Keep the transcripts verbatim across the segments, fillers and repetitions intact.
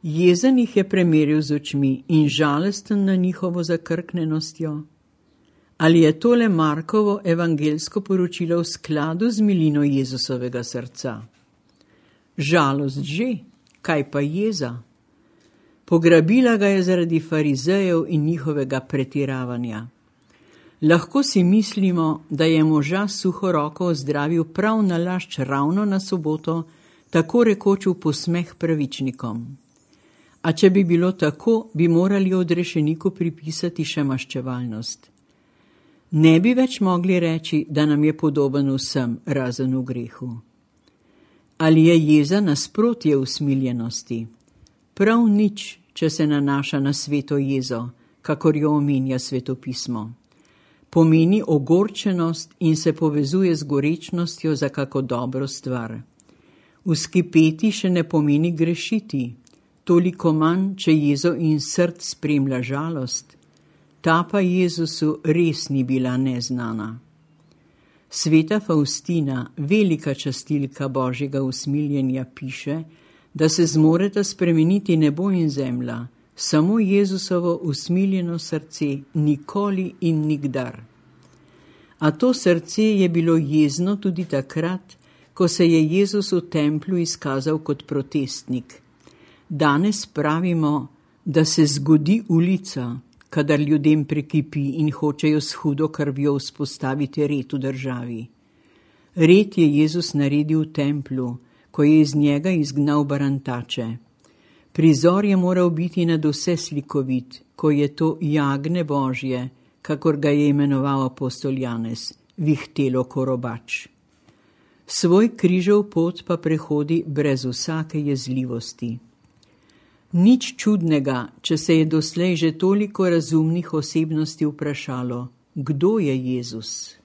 Jezen jih je premeril z očmi in žalesten na njihovo zakrknenostjo. Ali je tole Markovo evangelsko poročilo v skladu z milino Jezusovega srca? Žalost že, kaj pa jeza? Pograbila ga je zaradi farizejev in njihovega pretiravanja. Lahko si mislimo, da je moža suho roko ozdravil prav nalašč ravno na soboto, tako rekoč v posmeh pravičnikom. A če bi bilo tako, bi morali odrešeniku pripisati še maščevalnost. Ne bi več mogli reči, da nam je podoben vsem, razen v grehu. Ali je jeza nasprotje usmiljenosti? Prav nič, če se nanaša na sveto jezo, kakor jo omenja svetopismo. Pomeni ogorčenost in se povezuje z gorečnostjo za kako dobro stvar. Vzkipeti še ne pomeni grešiti, toliko manj, če jezo in srd spremlja žalost. Ta pa Jezusu res ni bila neznana. Sveta Faustina, velika častilka Božjega usmiljenja, piše, da se zmoreta spremeniti nebo in zemlja, samo Jezusovo usmiljeno srce nikoli in nikdar. A to srce je bilo jezno tudi takrat, ko se je Jezus v templju izkazal kot protestnik. Danes pravimo, da se zgodi ulica, kadar ljudem prekipi in hočejo s hudo krvjo vzpostaviti red v državi. Red je Jezus naredil v templju, ko je iz njega izgnal barantače. Prizor je moral biti nad vse slikovit, ko je to jagne Božje, kakor ga je imenoval apostol Janez, vihtelo korobač. Svoj križev pot pa prehodi brez vsake jezljivosti. Nič čudnega, če se je doslej že toliko razumnih osebnosti vprašalo, kdo je Jezus.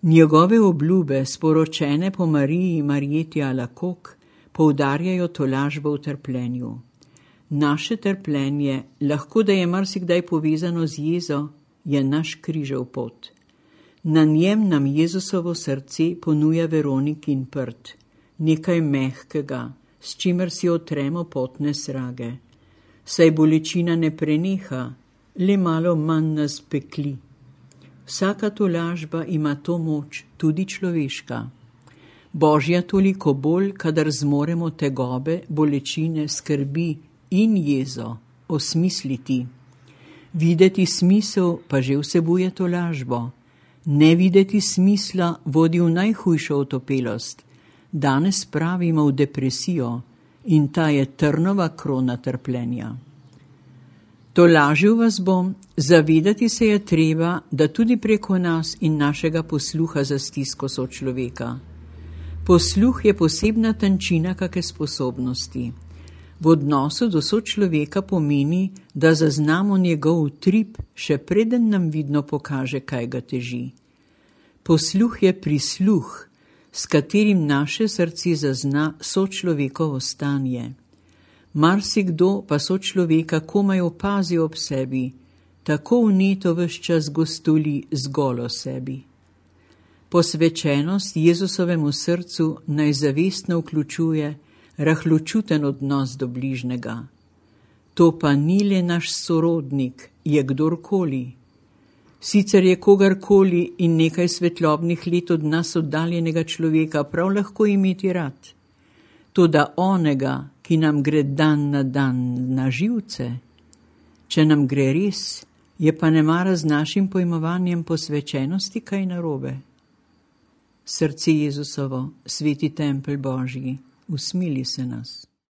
Njegove obljube, sporočene po Mariji Marjeti Alakok, poudarjajo tolažbo v trpljenju. Naše trpljenje, lahko da je marsikdaj povezano z jezo, je naš križev pot. Na njem nam Jezusovo srce ponuja Veronikin prt, nekaj mehkega, s čimer si otremo potne srage. Saj bolečina ne preneha, le malo manj nas pekli. Vsaka tolažba ima to moč, tudi človeška. Božja toliko bolj, kadar zmoremo tegobe, bolečine, skrbi in jezo osmisliti. Videti smisel pa že vsebuje tolažbo. Ne videti smisla vodi v najhujšo otopelost. Danes pravimo v depresijo in ta je trnova krona trpljenja. Tolažil vas bom, zavedati se je treba, da tudi preko nas in našega posluha za stisko sočloveka. Posluh je posebna tančina kake sposobnosti. V odnosu do sočloveka pomeni, da zaznamo njegov utrip, še preden nam vidno pokaže, kaj ga teži. Posluh je prisluh, s katerim naše srce zazna sočlovekovo stanje. Marsikdo pa sočloveka komaj opazi ob sebi, tako vneto ves čas gostoli zgolj o sebi. Posvečenost Jezusovemu srcu naj zavestno vključuje rahločuten odnos do bližnega. To pa ni le naš sorodnik, je kdorkoli. Sicer je kogarkoli in nekaj svetlobnih let od nas oddaljenega človeka prav lahko imeti rad. Toda onega, ki nam gre dan na dan na živce, če nam gre res, je pa nemara z našim pojmovanjem posvečenosti kaj narobe. Srce Jezusovo, sveti tempelj Božji, usmili se nas.